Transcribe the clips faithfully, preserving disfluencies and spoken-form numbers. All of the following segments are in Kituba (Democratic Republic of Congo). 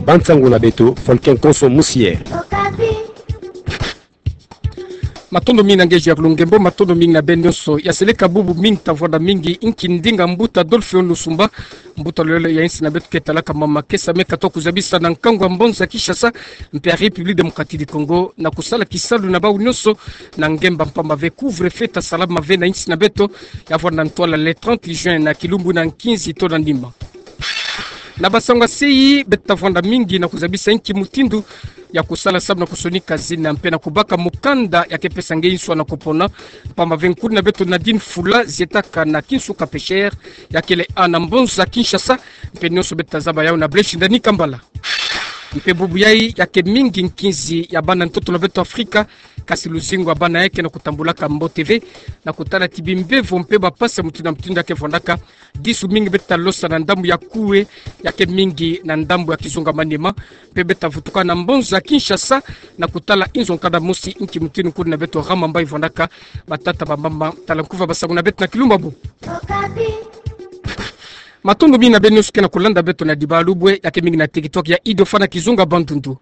Ba nsangu na beto, Volcan Konso Musiye. Matondo mingi na ngeji ya kulungembo, matondo mingi na beno nyonso. Ya seleka bubu mingi tavwanda mingi inki ndinga mbuta Adolphe Ono Sumba, mbuta lulendo ya insi na beto ke talaka mama kesa, me katuka kuzabisa na nkangu ya mbanza Kinshasa, mpe ya République Démocratique du Congo, na kusala kisalu na bau nyonso na ngemba mpamba ve couvre-feu ta salama ve na insi na beto, ya vwanda ntwala le trente juin na kilumbu na nkinzi to na nima. Na basangu ya seyi, beto tavwanda mingi na kuzabisa inki mutindu ya kusala samu na kusonika zina mpe na kubaka mukanda ya ke pesa nge nswa na kupona. Mpamba ve nkulu na beto Nadine Fula zietaka na Kinsuka Pêcheur, ya kele awa na mbanza Kinshasa, mpe nyonso beto tazaba yau na Blaise Ndani Kambala. Mpe bubu yai ya ke mingi nkinzi ya bana ntoto na beto Afrika, kasi luzingu ya bana yai ke na kutambulaka mbote ve, na kutala ti bimbevo mpe bapasi ya mutindu na mutindu ya ke vwandaka. Disu mingi beto talosa na ndambu ya Koué, ya ke mingi na ndambu ya Kizunga Maniema, mpe beto tavutuka na mbanza Kinshasa, na kutala inzo nkanda mosi inki mutindu nkulu na beto Ramamba ivwandaka. Batata, bamama, tala nkuva basangu na beto na kilumbu ya bubu. Matondo mingi na beno nyonso ke na kulanda beto na Diba Lubwe, ya ke mingi na TikTok ya Idofa na Kizunga Bandundu.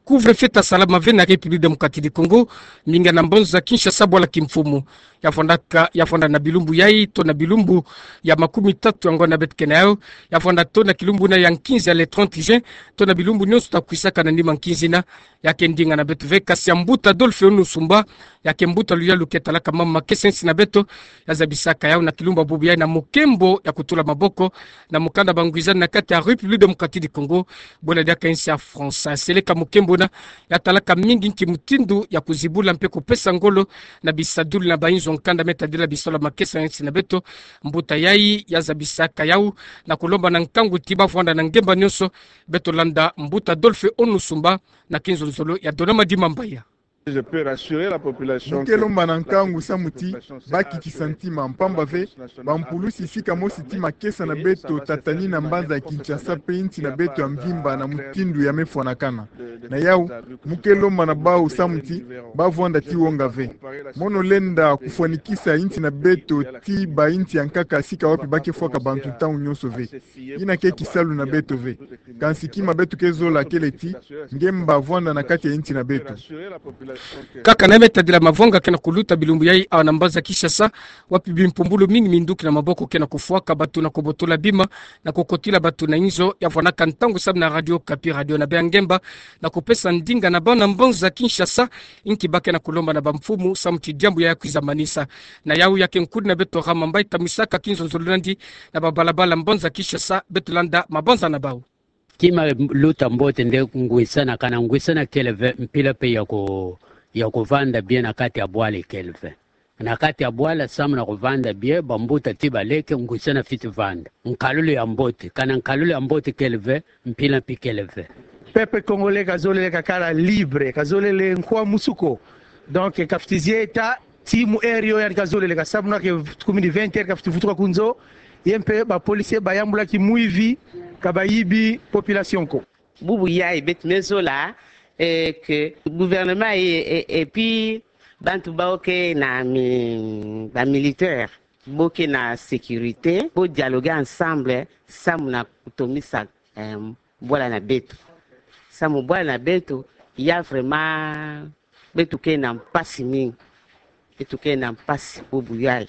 Couvre-feu ta salama ve na République Démocratique du Congo, mingi na mbanza Kinshasa bwala kimfumu. Ya vwandaka, ya vwanda na bilumbu yai, to na bilumbu ya makumi tatu ya ngonda beto ke na yau, ya vwanda to na kilumbu na ya nkinzi ya le trente juin, to na bilumbu nyonso ta kwisaka na nima nkinzi na, ya ke ndinga na beto ve, kasi ya mbuta Adolphe Ono Sumba, ya ke mbuta luyalu ke talaka mama kesa insi na beto, ya zabisaka yau na kilumbu ya bubu yai na mukembo ya kutula maboko na mukanda bangwizani na kati ya République Démocratique du Congo, bwela diaka insi ya France. Seleka mukembo na, ya talaka mingi inki mutindu ya kuzibula mpe kupesa ngolo na bisadulu na bainzo nkanda me tadila bisalu ya makesa ya insi na beto. Mbuta yai ya zabisaka yau na kulomba na nkangu ti ba vwanda na ngemba nyonso, beto landa mbuta Adolphe Ono Sumba na kinzonzolo ya Donama Dimambaya. Mu ke lomba na nkangu samu ti ba kikisa ntima, mpamba ve bampulusi sika mosi ti makesa na beto tatani na mbanza ya Kinshasa mpe insi na beto ya mvimba na mutindu ya me fwanakana. Na yau, mu ke lomba na bau samu ti ba vwanda ti wonga ve. Mono lenda kufwanikisa insi na beto ti bainsi ya nkaka sika wapi ba ke fwaka bantu ntangu nyonso ve. Yina ke kisalu na beto ve. Kansi kima beto ke zola kele ti ngemba vwanda na kati ya insi na beto. Kaka na me tadila mavwanga ke na kuluta bilumbu yai awa na mbanza Kinshasa, wapi bimpumbulu mingi minduki na maboko ke na kufwaka, bato na kubotola bima, na kukotila bato na inzo. Ya vwanaka ntangu samu na Radio Okapi, radio na bê ya ngemba, na kupesa ndinga na bana mbanza Kinshasa inki ba ke na kulomba na bamfumu samu ti diambu yai ya kwiza manisa. Na yau ya ke nkulu na beto Ramamba itamisaka kinzonzolo na yandi na babalabala mbanza Kinshasa, beto landa mabanza na bau. Kima luta mbote nde ngwisana, kana ngwisana kele ve, mpila mpe ya ku, ya kuvanda bien na kati ya bwala kele ve. Na kati ya bwala samu na kuvanda bien, bambuta ti baleke, ngwisana fiti vanda. Nkalulu ya mbote, kana nkalulu ya mbote kele ve, mpila mpe kele ve. Peuple congolais kazolele kakala libre, kazolele nkwamusu ko. Donc, kafweti zieta, ti mu heure yo yandi kazolele, ka samu na ke kumi ni vingt heures kafweti vutuka ku nzo, ye mpe ba policiers bayambula ki mwivi, ka bayibi population ko. Bubu yai beto me zola, eh, que gouvernement et, et, et puis bantu bawu ke na mi, ba militaires, bo ke na sécurité, bo dialoguer ensemble, samu na kutomisa, eh, bwala na beto. Samu bwala na beto, ya vraiment, beto ke na mpasi mingi. Beto ke na mpasi bubu yai.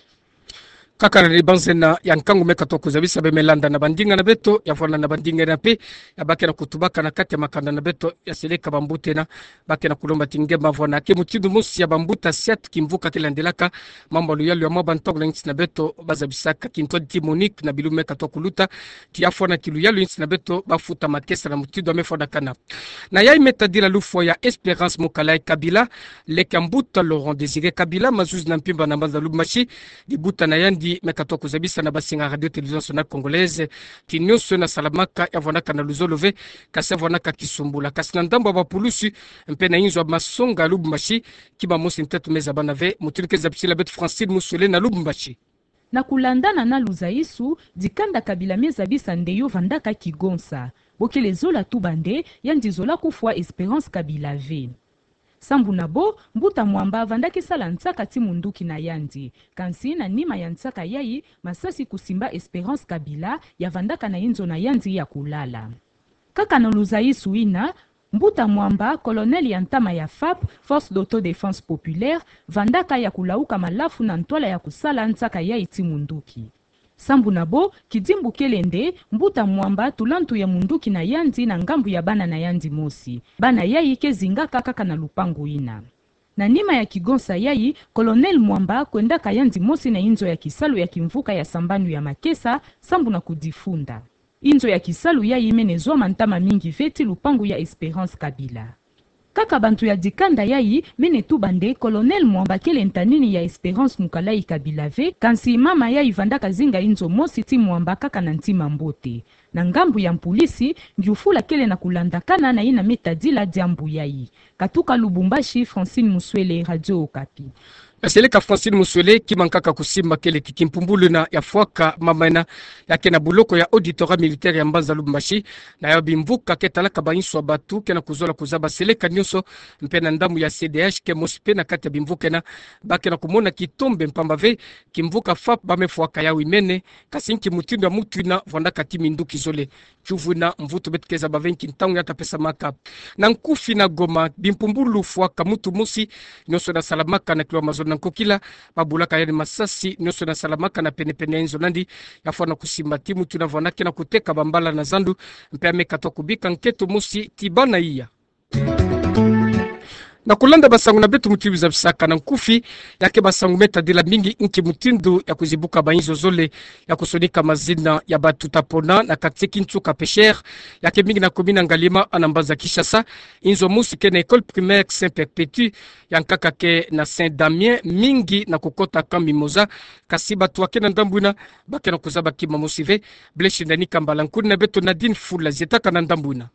Kaka na libanzena ya nkangu me katuka kuzabisa, bê me landa na bandinga na beto, ya vwanda na bandinga yina mpe, ya ba ke na kutubaka na kati ya makanda na beto, ya seleka bambuta yina, ba ke na kulomba ti ngemba vwanda. Ya ke mutindu mosi ya bambuta Siat Kimvuka ke landelaka mambu ya luyalu ya mwa bantangu na insi na beto, bazabisaka kintwadi ti Monique na bilumbu me katuka kuluta, ti ya fwana ki luyalu ya insi na beto, bafuta makesa na mutindu ya me fwanakana. Na yai me tadila lufwa ya Espérance Mukala Kabila, leke ya mbuta Laurent Désiré Kabila, mazuzi na mpimpa na mbanza Lubumbashi, dibuta na yandi me katuka kuzabisa na basinga Radio Télévision Nationale Congolaise, ti nyonso na salamaka ya vwanaka na luzolo ve, kasi ya vwanaka kisumbula. Kasi na ndambu ya bapulusi, mpe na inzo ya masonga Lubumbashi, kima mosi nteto me zabana ve, mutindu ke zabisila beto Francine Musuele na Lubumbashi. Na kulandana na luzaisu, dikanda Kabila me zabisa nde yo vandaka kigonsa. Bo kele zola tuba nde, yandi zola kufwa Espérance Kabila ve. Sambu na bo, mbuta Mwamba vandaki sala nsaka ti munduki na yandi. Kansi na nima ya nsaka yai, masasi kusimba Espérance Kabila, ya vandaka na inzo na yandi ya kulala. Kaka na luzaisu ina, mbuta mwamba, colonel ya ntama ya FAP, Force d'Autodéfense Populaire, vandaka ya kulauka malafu na ntwala ya kusala nsaka yayi ti munduki. Sambu na bo, kidimbu kele nde, mbuta mwamba tula ntu ya munduki na yandi na ngambu ya bana na yandi mosi. Bana yayi ke zingaka kaka na lupangu ina. Na nima ya kigonsa yayi, colonel mwamba kwendaka yandi mosi na inzo ya kisalu ya kimvuka ya sambanu ya makesa, sambu na kudifunda. Inzo ya kisalu yayi mene zwama ntama mingi ve ti lupangu ya Espérance Kabila. Kaka bantu ya dikanda yayi mene tuba nde colonel mwamba kele ntanini ya Espérance Mukalayi Kabila ve, kansi mama yayi vandaka zinga inzo mosi ti mwamba kaka na ntima mbote. Na ngambu ya mpulisi, ngiufula kele na kulandakana na ina me tadila diambu yayi. Katuka Lubumbashi, Francine Muswele, Radio Okapi. Ya seleka Francine Muswele, kima nkaka kusimba kele ti kimpumbulu ina ya fwaka mama ina ya ke na buloko ya auditorat militaire ya mbanza Lubumbashi, na ya bimvuka ke talaka ba inswa batu ke na kuzola kuzaba seleka nyonso, mpe na ndambu ya C D H ke mosi mpe na kati ya bimvuka ina, ba ke na kumona kitombe mpamba ve kimvuka FAP ba me fwaka yawu imene, kasi nki mutindu ya mutu ina vandaka ti minduki zole. Tiyuvu ina mvutu beto ke zaba ve nki ntangu ya ta pesamaka. Na nkufi na Goma, bimpumbulu fwaka mutu mosi, nyonso ina salamaka na kilwa mazono na nkokila, ba bulaka yandi masasi, nyonso ina salamaka na pene-pene ya inzo na yandi, ya fwana kusimba ti mutu ina vandaka ke na kuteka bambala na zandu, mpe ya me katwa kubika nkento mosi ti bana iya. Na kulanda basangu na beto mutindu zabisaka na nkufi, ya ke basangu me tadila mingi nki mutindu ya kuzibuka ba inzo zole ya kusonika mazina ya bantu ta pona na quartier Kinsuka Pêcheur, ya ke mingi na commune ya Ngaliema na mbanza Kinshasa. Inzo mosi ke na école primaire Saint Perpétue, ya nkaka ke na Saint Damien, mingi na kukota Camp Mimosa, kasi batu ya ke na ndambu ina ba ke na kuzaba kima mosi ve. Blaise Shindani Kambala, nkuni na beto Nadine Fula zietaka na ndambu ina.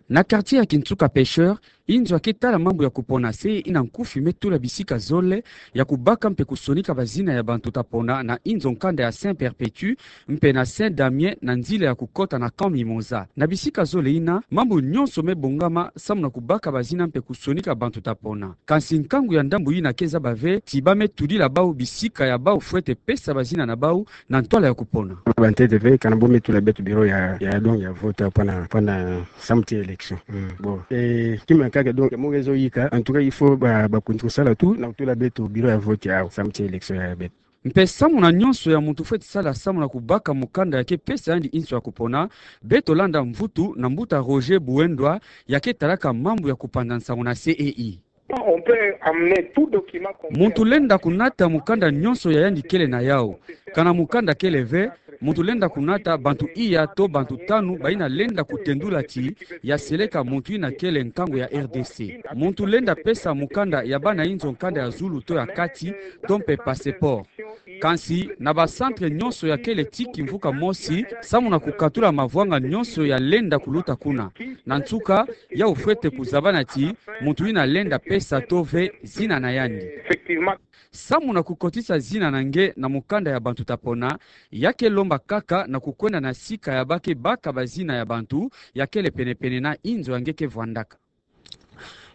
Na quartier ya Kinsuka Pêcheur, inzo ya ke tala mambu ya kupona se ina nkufi me tula bisika zole ya kubaka mpe kusonika bazina ya bantu ta pona na inzo nkanda ya Saint Perpétue mpe na Saint Damien na nzila ya kukota na Camp Mimosa. Na bisika zole ina, mambu nyonso me bongama samu na kubaka bazina mpe kusonika bantu ta pona. Kansi nkangu ya ndambu ina ke zaba ve ti ba me tudila bawu bisika ya bawu fwete pesa bazina na bawu na ntwala ya kupona. Ba ntete ve, kana bo me tula beto bureau ya, ya, donc ya vote, pona, pona samu ti élection. Mm. Bon. Eh, kima nkaka, donc, mo nge zo yika, en tout cas, il faut ba, ba kuntu sala tout, na kutula beto bureau ya vote yawu, samu ti élection ya beto. Mpe samu na nyonso ya muntu fwete sala samu na kubaka mukanda ya ke pesa yandi inzo ya kupona, beto landa mvutu na mbuta Roger Buendwa, ya ke talaka mambu ya kupanza nsangu na C E I. On peut amener tout document qu'on peut. Muntu lenda kunata mukanda nyonso ya yandi kele na yawu. Kana mukanda kele ve, muntu lenda kunata bantu iya to bantu tanu bayina lenda kutendula ti ya seleka muntu yina kele nkangu ya R D C. Muntu lenda pesa mukanda ya bana inzo, nkanda ya zulu to ya kati, to mpe passeport. Kansi, na ba centre nyonso ya kele ti kimvuka mosi, samu na kukatula mavwanga nyonso ya lenda kuluta kuna. Na nsuka, yawu fwete kuzabana ti muntu yina lenda pesa to ve zina na yandi. Effectivement. Samu na kukotisa zina na nge na mukanda ya bantu ta pona, ya ke lomba kaka na kukwenda na sika ya ba ke baka bazina ya bantu ya kele pene-pene na inzo ya nge ke vwandaka.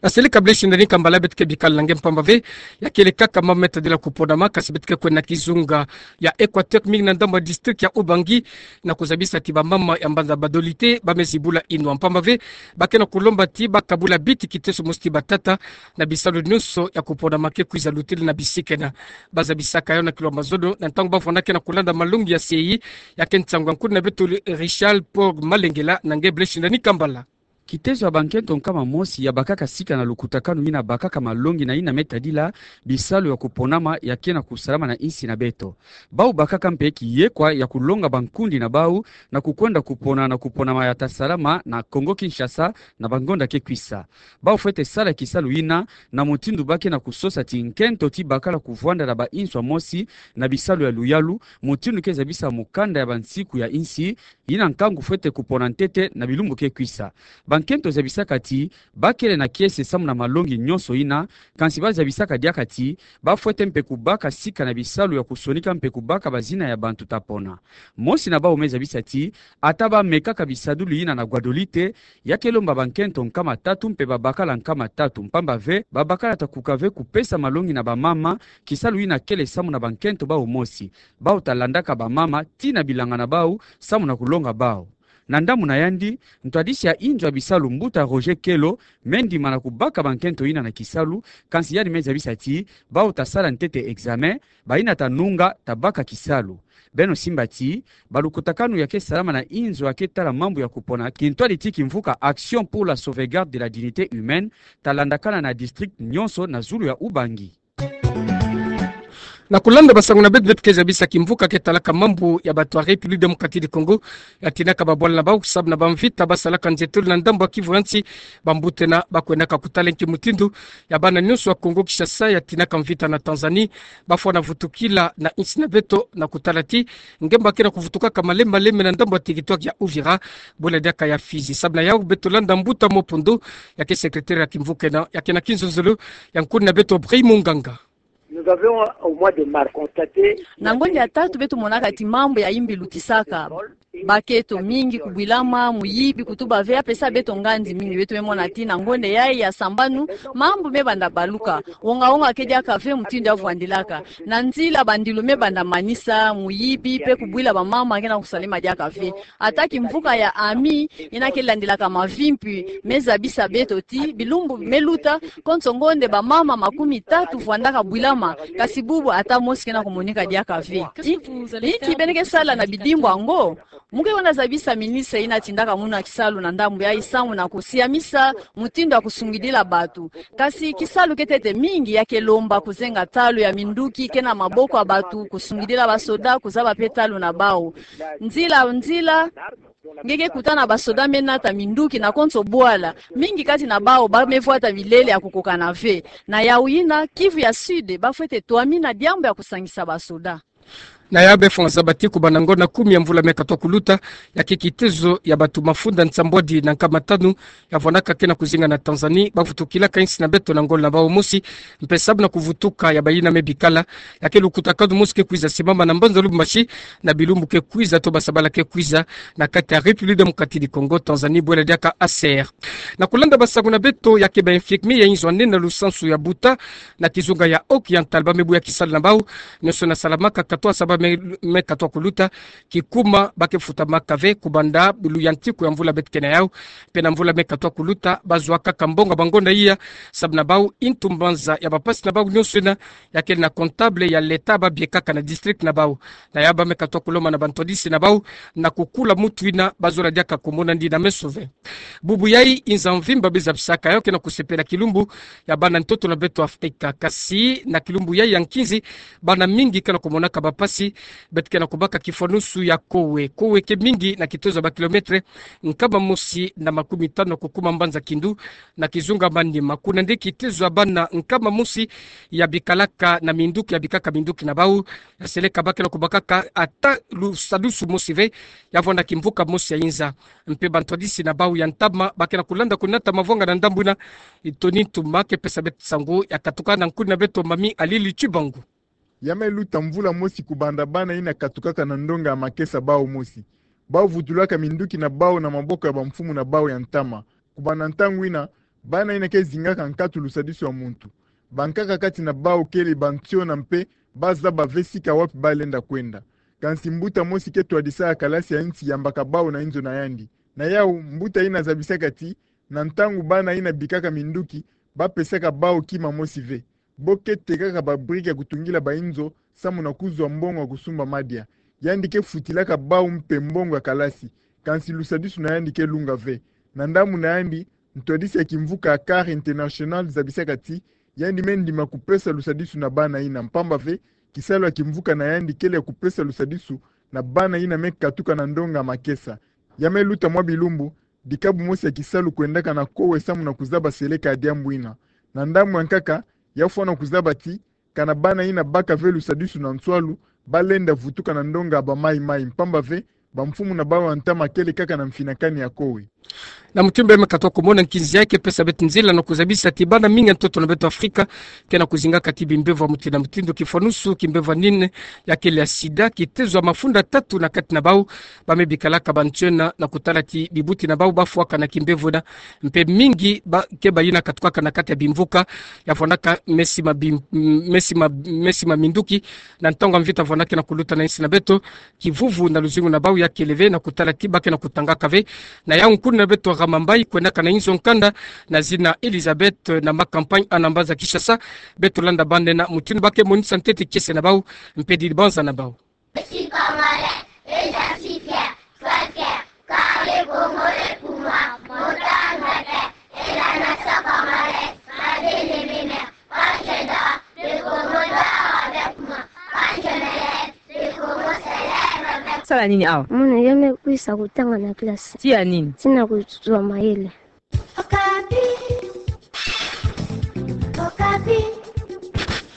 Ya seleka Blaise Shindani Kambala, beto ke bikala na nge mpamba ve, ya kele kaka mambu me tadila kuponama, kasi beto ke kwenda na kizunga ya Equateur, mingi na ndambu ya district ya Ubangi, na kuzabisa ti bamama ya mbanza Badolite ba me zibula inwa mpamba ve, ba ke na kulomba ti ba kabula biti kiteso mosi ti batata na bisalu nyonso ya kuponama ke kwiza lutila na bisika ina. Ba zabisaka yawu na kilwa mazono na ntangu ba vwanda ke na kulanda malongi ya C E I, ya ke nsangu ya nkuni na beto Richard Paul Malengela na nge Blaise Shindani Kambala. Kiteso ya bankento nkama mosi ya bakaka sika na lukutakanu yina bakaka malongi na yina me tadila bisalu ya kuponama ya ke na kusalama na insi na beto. Bawu bakaka mpe kiyekwa ya kulonga bankundi na bawu na kukwenda kupona na kuponama ya ta salama na Congo Kinshasa na bangonda ke kwisa. Bawu fwete sala kisalu yina na mutindu ba ke na kusosa ti nkento ti bakala kuvwanda na ba inswa mosi na bisalu ya luyalu, mutindu ke zabisa mukanda ya bansiku ya insi, yina nkangu fwete kupona ntete na bilumbu ke kwisa. Bankento zabisaka ti ba kele na kiese samu na malongi nyonso yina, kansi ba zabisaka diaka ti ba fwete mpe kubaka sika na bisalu ya kusonika mpe kubaka bazina ya bantu ta pona. Mosi na bawu me zabisa ti, ata ba mekaka bisadulu yina na Guadolite, ya ke lomba bankento nkama tatu mpe babakala nkama tatu, mpamba ve, babakala ta kuka ve kupesa malongi na bamama, kisalu yina kele samu na bankento bawu mosi. Bawu ta landaka bamama tii na bilanga na bawu, samu na kulonga bawu. Na ndambu na yandi, ntwadisi ya inzo ya bisalu, mbuta Roger Kelo, me ndima na kubaka bankento yina na kisalu, kansi yandi me zabisa ti bawu ta sala ntete examen, bayina ta nunga ta baka kisalu. Beno simba ti balukutakanu ya ke salama na inzo ya ke tala mambu ya kupona kintwadi ti kimvuka Action pour la sauvegarde de la dignité humaine ta landakana na district nyonso na zulu ya Ubangi. Na kulanda basangu na beto, beto ke zabisa kimvuka ke talaka mambu ya bato ya République Démocratique du Congo, ya tinaka babwala na bawu sababu na bamvita ba salaka nzietolo na ndambu ya Kivu ya nsi. Bambuta ena ba kwendaka kutala nki mutindu ya bana nyonso ya Congo Kinshasa ya tinaka mvita na Tanzanie ba fwana vutukila na insi na beto, na kutala ti ngemba ke na kuvutukaka malembe malembe na ndambu ya territoire ya Uvira, bwela diaka ya Fizi. Sababu na yawu beto landa mbuta Mopondo, ya ke secrétaire ya kimvuka ena, ya ke na kinzonzolo ya nkuni na beto Brey Munganga. Nous avions, au mois de mars, constaté... Na ngonde ya tatu beto monaka ti mambu ya imbi lutisaka. Bakento mingi kubwilama, muyibi kutuba ve, apesa beto ngandi mingi. Beto me mona ti na ngonde yayi ya sambanu, mambu me banda baluka. Wonga wonga ke diaka ve mutindu ya vwandilaka. Na nzila bandilu me banda manisa, muyibi, pe kubwila bamama ke na kusalama diaka ve. Ata kimvuka ya AMI, yina ke landilaka mavimpi, me zabisa beto ti bilumbu me luta, konso ngonde bamama makumi tatu vwandaka bwilama, kasi bubu ata mosi ke na kumonika diaka ve. Inki, inki beno ke sala na bidimbu yango? Mu ke kwenda zabisa ministre yina tindaka munu ya kisalu na ndambu yayi samu na kusiamisa mutindu ya kusungidila bato. Kasi kisalu ke ntete mingi, ya ke lomba kuzenga ntalu ya minduki ke na maboko ya bato, kusungidila basoda, kuzaba pe ntalu na bawu. Nzila, nzila, nge ke kuta na basoda me nata minduki na konso bwala. Mingi kati na bawu ba me vwata bilele ya kukokana ve. Na yawu yina, Kivu ya Sud ba fwete twamina diambu ya kusangisa basoda. Na yawu be fwa zaba ti kubanda ngonda kumi ya mvula me katwa kuluta, ya ke kitezo ya bato mafunda nsambwadi na nkama tanu ya vwandaka ke na kuzinga na Tanzanie ba vutukilaka insi na beto na ngolo na bawu mosi, mpe sababu na kuvutuka ya bayina me bikala, ya ke lukutakanu mosi ke kwiza simama na mbanza Lubumbashi na bilumbu ke kwiza to basabala ke kwiza, na kati ya République Démocratique du Congo, Tanzanie, bwela diaka A C R. Na kulanda basangu na beto, ya ke ba infirmier ya inzo ya nene na lusansu ya Buta, na kizunga ya Oriental, ba me buya kisalu na bawu nyonso yina salamaka katwa saba me, me katwa kuluta, kikuma ba ke futamaka ve kubanda luyantiku ya mvula beto ke na yawu. Mpe na mvula me katwa kuluta, ba zwa kaka mbongo ya bangonda iya, sababu na bawu ntu mbanza ya bapasi na bawu nyonso yina, ya kele na comptable ya l'État ba biekaka na district na bawu. Na yawu ba me katwa kulomba na bantwadisi na bawu na kukula mutu yina ba zola diaka kumona ndi na meso ve. Bubu yayi, inza mvimba be zabisaka yawu ke na kusepela kilumbu ya bana ntoto na beto Afrika. Kasi na kilumbu yayi ya nkinzi, bana mingi ke na kumonaka bapasi, beto ke na kubaka kifwanusu ya kowe. Kowe ke mingi na kitezo ya ba kilomètre nkama mosi na makumi tanu na kukuma mbanza Kindu, na kizunga Maniema. Kuna nde kitezo ya bana nkama mosi ya bikalaka na minduki, ya bikaka minduki na bawu, ya seleka ba ke na kubakaka ata lusadusu mosi ve, ya vwanda kimvuka mosi ya inza. Mpe bantwadisi na bawu ya ntama ba ke na kulanda kunata mavwanga na ndambu yina. Tony Ntuma ke pesa beto nsangu, ya katuka na nkuni na beto Mami Alili Tshibangu. Ya me luta mvula mosi kubanda bana yina katukaka na ndonga ya makesa bawu mosi. Bawu vutulaka minduki na bawu na maboko ya bamfumu na bawu ya ntama. Kubanda ntangu yina, bana yina ke zingaka nkatu lusadusu ya muntu. Bankaka kati na bawu kele bansiona mpe ba zaba ve sika wapi ba lenda kwenda. Kansi mbuta mosi ke twadisaka kalasi ya nsi yambaka bawu na inzo na yandi. Na yawu, mbuta yina zabisaka ti, na ntangu bana yina bikaka minduki ba pesaka bawu kima mosi ve. Bo ke tekaka ba brique ya kutungila ba inzo samu na kuzwa mbongo ya kusumba madia. Yandi ke futilaka bawu mpe mbongo ya kalasi. Kansi lusadusu na yandi ke lunga ve. Na ndambu na yandi, ntwadisi ya kimvuka ya Care International zabisaka ti, yandi me ndima kupesa lusadusu na bana yina, mpamba ve kisalu ya kimvuka na yandi kele ya kupesa lusadusu na bana yina me katuka na ndonga ya makesa. Ya me luta mwa bilumbu, dikabu mosi ya kisalu kwendaka na kowe samu na kuzaba seleka ya diambu yina. Na ndambu ya nkaka, ya fwana kuzaba ti, kana bana yina baka ve lusadusu na nswalu, ba lenda vutuka na ndonga ya bamaimai, mpamba ve bamfumu na bawu ya ntama kele kaka na mfinakani ya kowe. Na mutindu bê me katwa kumona nkinzi ya ke pesa beto nzila na kuzabisa ti bana mingi ya ntoto na beto Afrika ke na kuzinga kati bimbevo ya mutindu na mutindu, kifwanusu kimbevo ya nini, ya kele ya sida, kitezo ya mafunda tatu na kati na bau, ba me bikalaka ba ntiona na kutala ti bibuti na bau ba fwaka na kimbevo na, mpe mingi ba ke bayina katukaka na kati ya bimvuka, ya vwanaka mesi ma bim-, mesi ma, mesi ma minduki, na ntangu ya mvita vwanaka na kuluta na insi na beto, kivuvu na luzingu na bau ya kele ve na kutala ti ba ke na kutangaka ve. Na yau nkuna beto Ramambai, kwenaka na inzo nkanda, na zina Elizabeth, na ma campagne ana mbanza Kinshasa, beto landa bande na mutindu ba ke monisa ntete kiese na bau, mpe dibanza na bau. Je suis congolais et j'en suis fier, sois fier, car le Congo est pour moi, mon terre natale est la nation congolaise, ma bien-aimée mère. Quand je dors, le Congo dort avec moi. Quand je me lève, le Congo se lève avec moi. Sala nini awa? Mwana ya me kwisa kutanga na classe. Tia nini? Tina kuzwa mayele.